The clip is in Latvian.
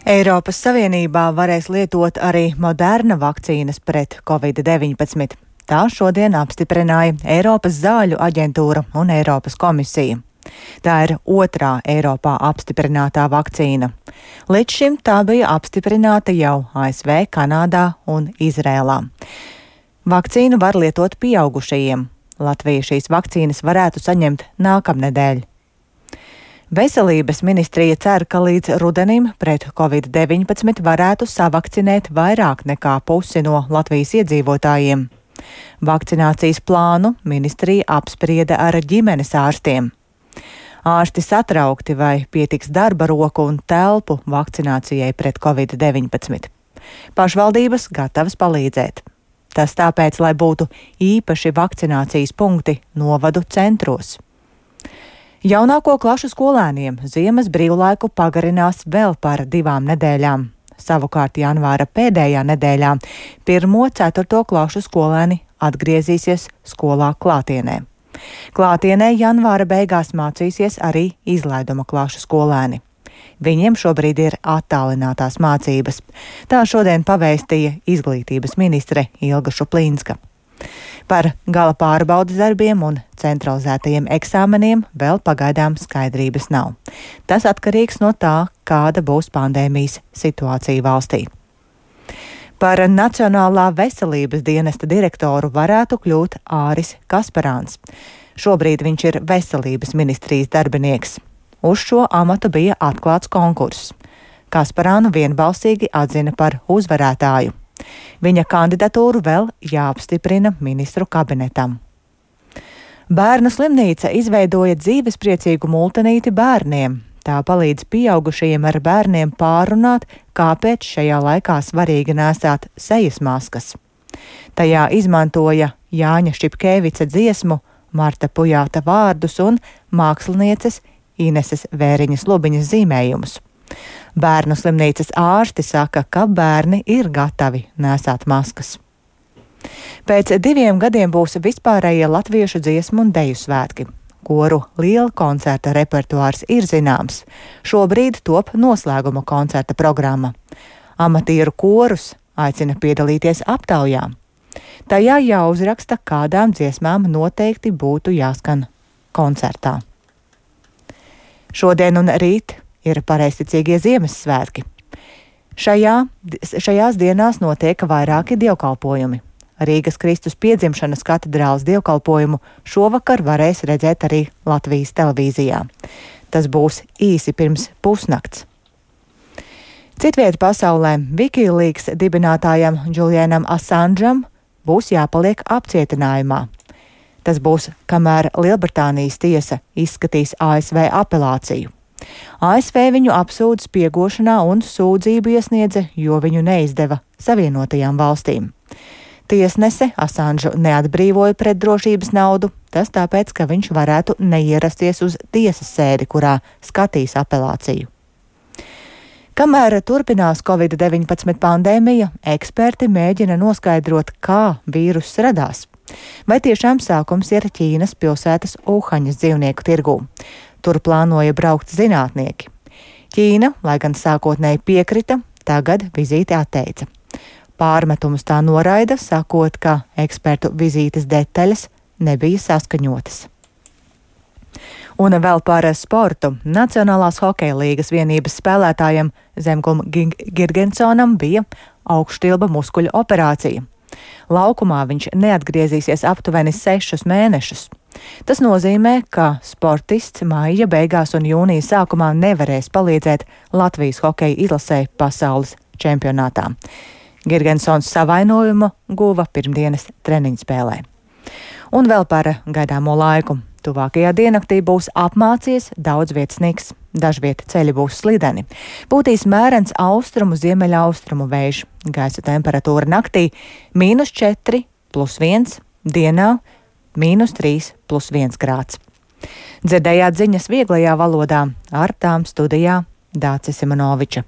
Eiropas Savienībā varēs lietot arī Moderna vakcīnas pret Covid-19. Tā šodien apstiprināja Eiropas zāļu aģentūra un Eiropas komisija. Tā ir otrā Eiropā apstiprinātā vakcīna. Līdz šim tā bija apstiprināta jau ASV, Kanādā un Izrēlā. Vakcīnu var lietot pieaugušajiem. Latvija šīs vakcīnas varētu saņemt nākamnedēļ. Veselības ministrija cer, ka līdz rudenim pret Covid-19 varētu savakcinēt vairāk nekā pusi no Latvijas iedzīvotājiem. Vakcinācijas plānu ministrija apsprieda ar ģimenes ārstiem. Ārsti satraukti, vai pietiks darba roku un telpu vakcinācijai pret Covid-19. Pašvaldības gatavas palīdzēt. Tas tāpēc, lai būtu īpaši vakcinācijas punkti novadu centros. Jaunāko klašu skolēniem ziemas brīvlaiku pagarinās vēl par 2 nedēļām. Savukārt janvāra pēdējā nedēļā 1.–4. klašu skolēni atgriezīsies skolā klātienē. Klātienē janvāra beigās mācīsies arī izlaiduma klašu skolēni. Viņiem šobrīd ir attālinātās mācības. Tā šodien pavēstīja izglītības ministre Ilga Šuplīnska. Par gala pārbaudes darbiem un centralizētajiem eksāmeniem vēl pagaidām skaidrības nav. Tas atkarīgs no tā, kāda būs pandēmijas situācija valstī. Par Nacionālā veselības dienesta direktoru varētu kļūt Āris Kasparāns. Šobrīd viņš ir veselības ministrijas darbinieks. Uz šo amatu bija atklāts konkurss. Kasparānu vienbalsīgi atzina par uzvarētāju. Viņa kandidatūru vēl jāapstiprina ministru kabinetam. Bērnu slimnīca izveidoja dzīvespriecīgu multinīti bērniem. Tā palīdz pieaugušajiem ar bērniem pārunāt, kāpēc šajā laikā svarīgi nēsāt sejas maskas. Tajā izmantoja Jāņa Šipkēvica dziesmu, Marta Pujāta vārdus un mākslinieces Ineses Vēriņas Lubiņas zīmējumus. Bērnu slimnīcas ārsti saka, ka bērni ir gatavi nēsāt maskas. Pēc 2 gadiem būs vispārējie latviešu dziesmu un deju svētki. Koru liela koncerta repertuārs ir zināms. Šobrīd top noslēguma koncerta programma. Amatieru korus aicina piedalīties aptaujā. Tajā jāuzraksta, kādām dziesmām noteikti būtu jāskan koncertā. Šodien un rīt ir pareizticīgie Ziemassvētki. Šajās dienās notiek vairāki dievkalpojumi. Rīgas Kristus piedzimšanas katedrāles dievkalpojumu šovakar varēs redzēt arī Latvijas televīzijā. Tas būs īsi pirms pusnakts. Citvieta pasaulē Wikileaks dibinātājam Julianam Assangeam būs jāpaliek apcietinājumā. Tas būs, kamēr Lielbritānijas tiesa izskatīs ASV apelāciju. ASV viņu apsūdz spiegošanā un sūdzību iesniedza, jo viņu neizdeva Savienotajām valstīm. Tiesnese Assanžu neatbrīvoja pret drošības naudu, tas tāpēc, ka viņš varētu neierasties uz tiesas sēdi, kurā skatīs apelāciju. Kamēr turpinās Covid-19 pandēmija, eksperti mēģina noskaidrot, kā vīruss radās. Vai tiešām sākums ir Ķīnas pilsētas Uhaņas dzīvnieku tirgū. Tur plānoja braukt zinātnieki. Ķīna, lai gan sākotnēji piekrita, tagad vizīti atteica. Pārmetumus tā noraida, sakot, ka ekspertu vizītes detaļas nebija saskaņotas. Un vēl par sportu. Nacionālās hokeja līgas vienības spēlētājam Zemgum Girgensonam bija augštilba muskuļu operācija. Laukumā viņš neatgriezīsies aptuveni 6 mēnešus. Tas nozīmē, ka sportists maija beigās un jūnija sākumā nevarēs palīdzēt Latvijas hokeja izlasē pasaules čempionātā. Girgensons savainojumu guva pirmdienas treniņspēlē. Un vēl par gaidāmo laiku. Tuvākajā diennaktī būs apmācies, daudz vietas sniks, dažviet ceļi būs slideni. Būtīs mērens austrumu ziemeļaustrumu vējš. Gaisa temperatūra naktī -4 + 1, dienā -3 + 1 grāds. Dzirdējāt ziņas vieglajā valodā, ar tām studijā Dācis Simonoviča.